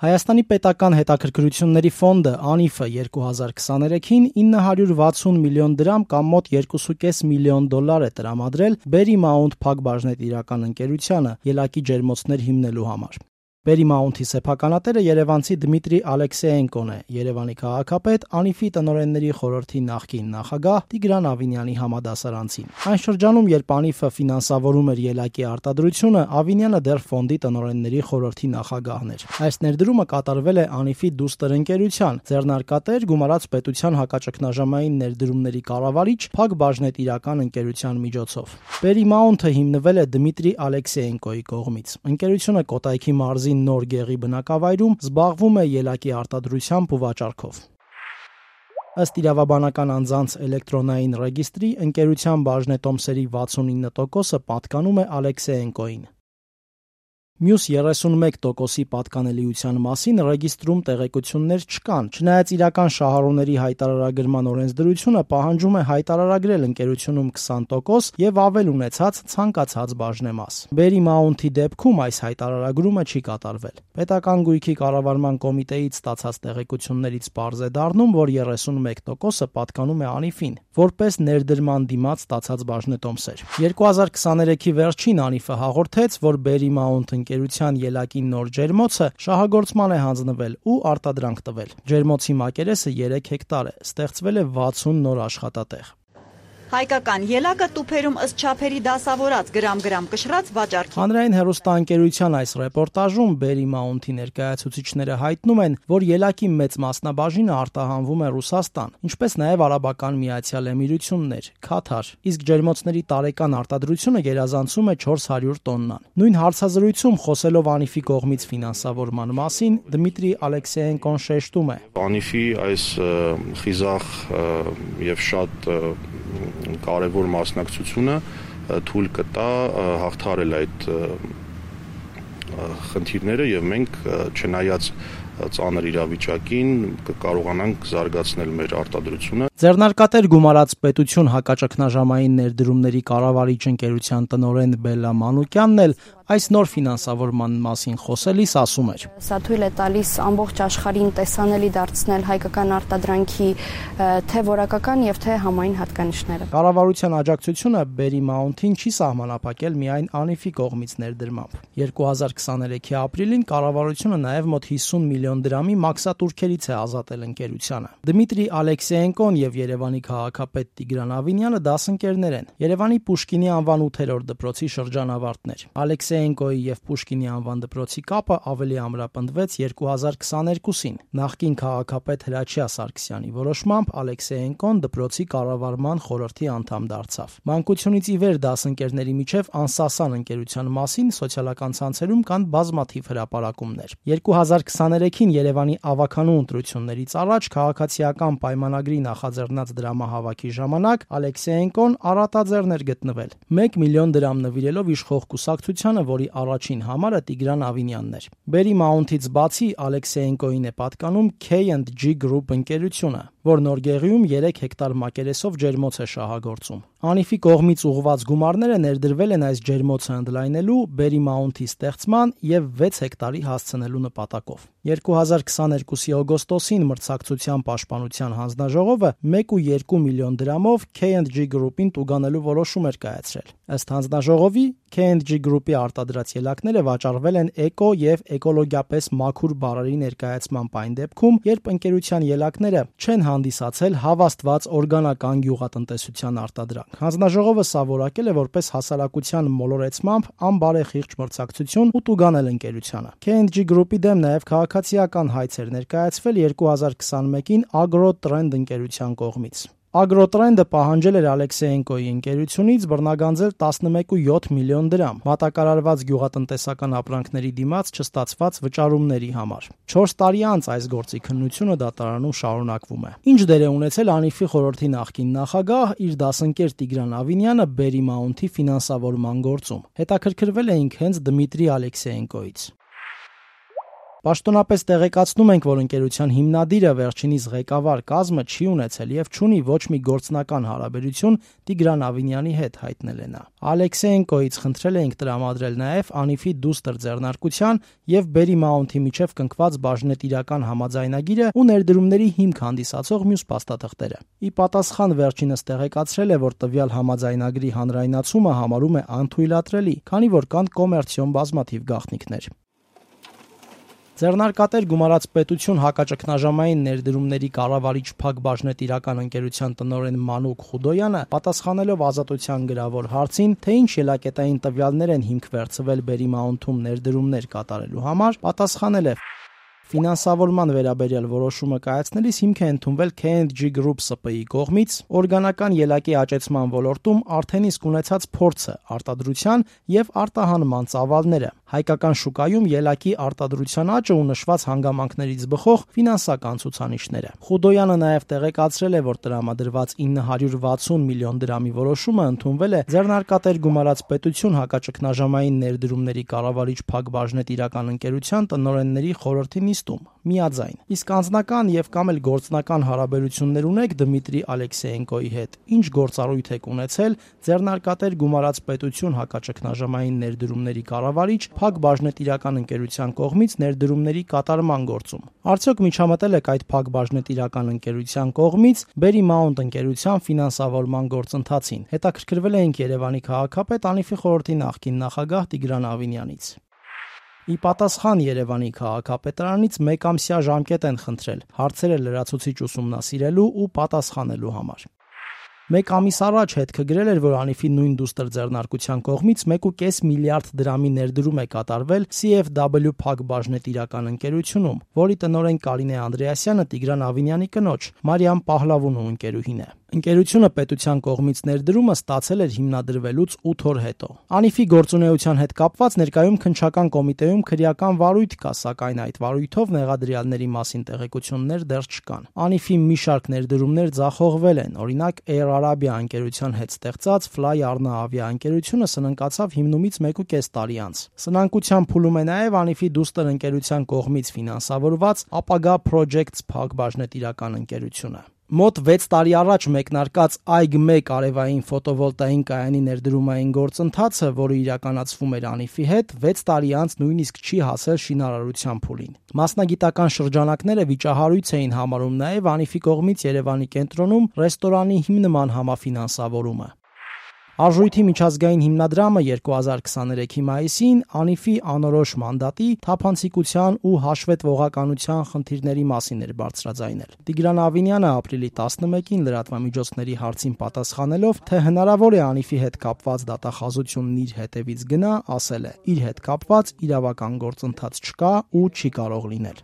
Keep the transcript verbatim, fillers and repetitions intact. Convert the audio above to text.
Հայաստանի պետական հետաքրքրությունների ֆոնդը (ԱՆԻՖ-ը) երկու հազար քսաներեքին ինը հարյուր վաթսուն միլիոն դրամ կամ մոտ երկու կόμ պենս միլիոն դոլար է տրամադրել Berry Mount փակ-բաժնետիրական ընկերությանը ելակի ջերմոցներ հիմնելու համար։ Berry Mount-ի սեփականատերը երևանցի Դմիտրի Ալեքսեենկոն է, Երևանի քաղաքապետ, ԱՆԻՖ-ի տնօրենների խորհրդի նախկին նախագահ Տիգրան Ավինյանի համադասարանցին։ Այն շրջանում, երբ ԱՆԻՖ-ը ֆինանսավորում էր ելակի արտադրությունը, Ավինյանը դեռ ֆոնդի տնօրենների խորհրդի նախագահն էր։ Այս ներդրումը կատարվել է ԱՆԻՖ-ի դուստր ընկերության, ձեռնարկատեր գումարած պետության հակաճգնաժամային ներդրումների կառավարիչ փակ-բաժնետիրական ընկերության միջոցով։ Berry Mount-ը հիմնվել է Դմիտրի Ալեքսեենկոյի կողմից։ Ընկերությունը Կոտայքի մարզի Նոր Գեղի բնակավայրում զբաղվում է ելակի արտադրությամբ ու վաճառքով։ Ըստ իրավաբանական անձանց էլեկտրոնային ռեգիստրի, ընկերության բաժնետոմսերի վաթսունինը տոկոսը պատկանում է Ալեքսեենկոյին։ Մյուս երեսունմեկ տոկոսի պատկանելիության մասին ռեգիստրում տեղեկություններ չկան, չնայած իրական շահառուների հայտարարագրման օրենսդրությունը պահանջում է հայտարարագրել ընկերությունում քսան տոկոս եւ ավել ունեցած ցանկացած բաժնեմաս։ Berry Mount-ի դեպքում այս հայտարարագրումը չի կատարվել։ Պետական գույքի կառավարման կոմիտեից ստացած տեղեկություններից պարզ է դառնում, որ երեսունմեկ տոկոսը պատկանում է ԱՆԻՖ-ին, որպես ներդրման դիմաց ստացած բաժնետոմսեր։ երկու հազար քսաներեքի վերջին ԱՆԻՖ-ը հաղորդեց, որ Berry Mount ընկերության ելակի նոր ջերմոցը շահագործման է հանձնվել ու արտադրանք տվել։ Ջերմոցի մակերեսը երեք հեկտար է, ստեղծվել է վաթսուն նոր աշխատատեղ։ Հայկական ելակը տուփերում ըստ չափերի դասավորած գրամ-գրամ կշռած վաճառքի։ Հանրային հեռուստաընկերության այս ռեպորտաժում Berry Mount-ի ներկայացուցիչները հայտնում են, որ ելակի մեծ մասնաբաժինը արտահանվում է Ռուսաստան, ինչպես նաև Արաբական Միացյալ Էմիրություններ, Քաթար, իսկ ջերմոցների տարեկան արտադրությունը գերազանցում է չորս հարյուր տոննան։ Նույն հարցազրույցում խոսելով ԱՆԻՖ-ի կողմից ֆինանսավորման մասին, Դմիտրի Ալեքսեենկոն շեշտում է. ԱՆԻՖ-ի այս խիզախ եւ շատ կարևոր մասնակցությունը թույլ կտա հաղթահարել այդ խնդիրները եւ մենք չնայած ծանր իրավիճակին կկարողանանք զարգացնել մեր արտադրությունը։ Ձեռնարկատեր գումարած պետություն հակաճգնաժամային ներդրումների կառավարիչ ընկերության տնօրեն Բելլա Մանուկյանն էլ այս նոր ֆինանսավորման մասին խոսելիս ասում էր. Սա թույլ է տալիս ամբողջ աշխարհին տեսանելի դարձնել հայկական արտադրանքի թե որակական եւ թե համային հատկանիշները։ Կառավարության աջակցությունը Berry Mount-ին չի սահմանափակել միայն ԱՆԻՖ-ի կողմից ներդրմամբ։ երկու հազար քսաներեքի ապրիլին կառավարությունը նաև մոտ հիսուն միլիոն դրամի մաքսատուրքերից է ազատել ընկերությանը։ Դմիտրի Ալեքսեենկոն եւ Երևանի քաղաքապետ Տիգրան Ավինյանը դասընկերներ են։ Երևանի Պուշկինի անվան ութերորդ դպրոցի շրջանավարտներ։ Ալեքսեենկոյի եւ Պուշկինի անվան դպրոցի կապը ավելի ամրապնդվեց երկու հազար քսաներկուսին։ Նախկին քաղաքապետ Հրաչյա Սարգսյանի որոշմամբ Ալեքսեենկոն դպրոցի կառավարման խորհրդի անդամ դարձավ։ Մանկությունից ի վեր դասընկերների միջև անսասան ընկերության մասին սոցիալական ցանցերում կան բազմաթիվ հրապարակումներ։ երկու հազար քսաներեքին Երևանի ավականու ընտրություններից առաջ քաղաքացիական պայմանագրի նախաձեռնած դրամահավաքի ժամանակ Ալեքսեենկոն առատաձեռն էր գտնվել։ մեկ միլիոն դրամ նվիրելով իշխող կուսակցությանը, որի առաջին համարը Տիգրան Ավինյանն էր։ Berry Mount-ից բացի Ալեքսեենկոին է պատկանում K and G Group ընկերությունը, որ Նոր Գեղիում երեք հեկտար մակերեսով ջերմոց է շահագործում։ ԱՆԻՖ-ի կողմից ուղղված գումարները ներդրվել են այս ջերմոցը ընդլայնելու, Berry Mount-ի ստեղծման եւ վեց հեկտարի հասցնելու նպատակով։ երկու հազար քսաներկուսի օգոստոսին մրցակցության պաշտպանության հանձնաժողովը մեկ կόμ երկու միլիոն դրամով K and G Group-ին տուգանելու որոշում էր կայացրել։ Ըստ հանձնաժողովի, K and G Group-ի արտադրած ելակները վաճառվել են էկո եւ էկոլոգիապես մաքուր բարերի ներկայացման այն դեպքում, երբ ընկերության ելակները չեն հանդիսացել հավաստված օրգանական գյուղատնտեսության արտադրանք։ Հանձնաժողովը սա որակել է որպես հասարակության մոլորեցմամբ անբարեխիղճ մրցակցություն ու տուգանել ընկերությանը։ K and G Group-ի դեմ նաև քաղաքացիական հայց էր ներկայացվել երկու հազար քսաներեքին Agro-Trend ընկերության կողմից։ Agro-Trend-ը պահանջել էր Ալեքսեենկոյի ընկերությունից բռնագանձել տասնմեկ կόμ յոթ միլիոն դրամ մատակարարված գյուղատնտեսական ապրանքների դիմաց չստացված վճարումների համար։ չորս տարի անց այս գործի քննությունը դատարանում շարունակվում է։ Ինչ դեր է ունեցել ԱՆԻՖ-ի խորհրդի նախկին նախագահ իր դասընկեր Տիգրան Ավինյանը Berry Mount-ի ֆինանսավորման գործում։ Հետաքրքրվել էինք հենց Դմիտրի Ալեքսեենկոյից։ Պաշտոնապես տեղեկացնում ենք, որ ընկերության հիմնադիրը վերջինիս ղեկավար կազմը չի ունեցել եւ չունի ոչ մի գործնական հարաբերություն Տիգրան Ավինյանի հետ, հայտնել է նա։ Ալեքսեենկոից խնդրել էինք տրամադրել նաեւ Անիֆի դուստր ձեռնարկության եւ Berry Mount-ի միջև կնքված բաժնետիրական համաձայնագիրը ու ներդրումների հիմք հանդիսացող մյուս փաստաթղթերը։ Ի պատասխան վերջինս տեղեկացրել է, որ տվյալ համաձայնագրի հանրայնացումը համարում է անթույլատրելի, քանի որ կան կոմերցիոն բազմաթիվ գաղտնիքներ։ Ձեռնարկատեր գումարած պետություն հակաճգնաժամային ներդրումների կառավարիչ Փակ բաժնետիրական ընկերության տնօրեն Մանուկ Խուդոյանը, պատասխանելով Ազատության գրավոր հարցին, թե ինչ ելակետային տվյալներ են հիմք վերցվել Berry Mount-ում ներդրումներ կատարելու համար, պատասխանել է. Ֆինանսավորման վերաբերյալ որոշումը կայացնելիս հիմք է ընդունվել K and G Group S P I կողմից օրգանական ելակի աճեցման ոլորտում արդեն իսկ ունեցած փորձը, արտադրության եւ արտահանման ծավալները, հայկական շուկայում ելակի արտադրության աճը ու նշված հանգամանքներից բխող ֆինանսական ցուցանիշները։ Խուդոյանը նաեւ տեղեկացրել է, որ տրամադրված ինը հարյուր վաթսուն միլիոն դրամի որոշումը ընդունվել է ձեռնարկատեր գումարած պետություն հակաճգնաժամային ներդրումների կառավարիչ Փակ բաժնետիրական ընկերության տնօրենների խորհրդի նիստում միաձայն։ Իսկ անձնական եւ կամ էլ գործնական հարաբերություններ ունեք Դմիտրի Ալեքսեենկոյի հետ։ Ինչ գործառույթ եք ունեցել ձեռնարկատեր գումարած պետություն հակաճգնաժամային ներդրումների կառավարիչ Փակ բաժնետիրական ընկերության կողմից ներդրումների կատարման գործում։ Արդյոք միջամտել եք այդ Փակ բաժնետիրական ընկերության կողմից Berry Mount ընկերության ֆինանսավորման գործընթացին։ Հետաքրքրվել էինք Երևանի քաղաքապետ Անիֆի խորհրդի նախկին նախագահ Տիգրան Ավինյանից։ Ի պատասխան Երևանի քաղաքապետարանից մեկամսյա ժամկետ են խնդրել հարցերը լրացուցիչ ուսումնասիրելու ու պատասխանելու համար։ Մեկ ամիս առաջ հետքը գրել էր, որ Անիֆի նույն դուստր ձեռնարկության կողմից մեկ ու կես միլիարդ դրամի ներդրում է կատարվել C F W Փակ բաժնետիրական ընկերությունում, որի տնօրեն Կարինե Անդրեասյանը Տիգրան Ավինյանի կնոջ Մարիամ Պահլավունու ընկերուհին է։ Ընկերությունը պետության կողմից ներդրումը ստացել էր հիմնադրվելուց ութ օր հետո։ Անիֆի գործունեության հետ կապված ներկայում քննչական կոմիտեում քրեական վարույթ կա, սակայն այդ վարույթով մեղադրյալների մասին տեղեկություններ դեռ չկան։ Անիֆի մի շարք ներդրումներ ձախողվել են, օրինակ Air Arabia ընկերության հետ ստեղծած Fly Arna ավիաընկերությունը սնանկացավ հիմնումից մեկ ու կես տարի անց։ Սնանկության փուլում է նաև Անիֆի դուստր ընկերության կողմից ֆինանսավորված Ապագա Projects Փակ բաժնետիրական ընկերությունը։ Մոտ վեց տարի առաջ մեկնարկած Այգ մեկ արևային ֆոտովոլտային կայանի ներդրումային գործընթացը, որը իրականացվում էր Անիֆի հետ, վեց տարի անց նույնիսկ չի հասել շինարարության փուլին։ Մասնագիտական շրջանակները վիճահարույց էին համարում նաև Անիֆի կողմից Երևանի կենտրոնում ռեստորանի հիմնման համաֆինանսավորումը։ Արժույթի միջազգային հիմնադրամը երկու հազար քսաներեքի մայիսին Անիֆի անորոշ մանդատի, թափանցիկության ու հաշվետվողականության խնդիրների մասին էր բարձրաձայնել։ Տիգրան Ավինյանը ապրիլի տասնմեկին լրատվամիջոցների հարցին պատասխանելով, թե հնարավոր է Անիֆի հետ կապված դատախազությունն իր հետևից գնա, ասել է. իր հետ կապված իրավական գործընթաց չկա ու չի կարող լինել։